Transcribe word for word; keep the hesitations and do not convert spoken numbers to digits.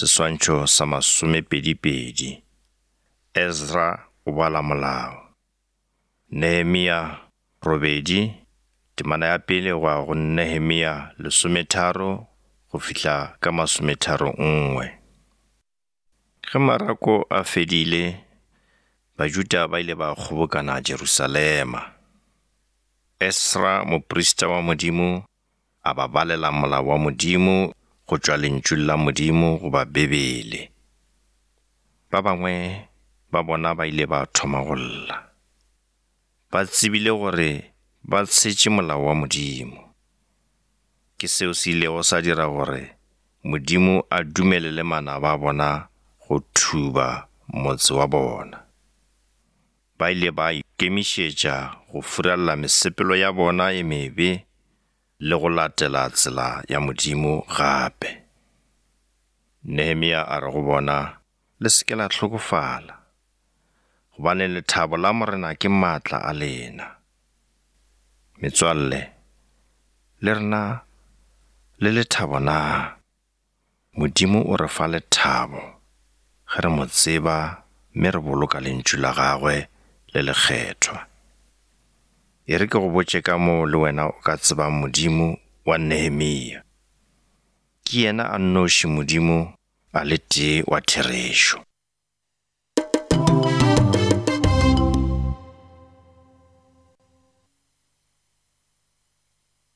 Seswantšho sa masomepedipedi. Ezra o bala molao. Nehemia robedi, temana ya pele go ya go Nehemia lesometharo go fihla ka masometharo nngwe. Ge marako a fedile, Bajuda ba ile ba kgobokana Jerusalema. Esra moprista wa Modimo a ba balela molao wa Modimo go tšwa lentšung la Modimo goba Bibele. Ba bangwe ba bona ba ile ba thoma go lla. Ba tsebile gore ba tshetše molao wa Modimo. Ke seo se ilego sa dira gore Modimo a dumelele manaba a bona go thuba motse wa bona. Ba ile ba ikemišetša go furalla mesepelo ya bona e mebe le go latela tsela ya Modimo gape. Nehemia a re go bona, le se ke la hlokofala, gobane lethabo la Morena ke maatla a lena. Metswalle, le rena le lethabo na? Modimo o re fa lethabo ge re mo tseba mme re boloka lentšu la gagwe le lekgethwa. E re ke go botše ka moo le wena o ka tsebang Modimo wa Nehemia. Ke yena a nnoši Modimo a le tee wa therešo.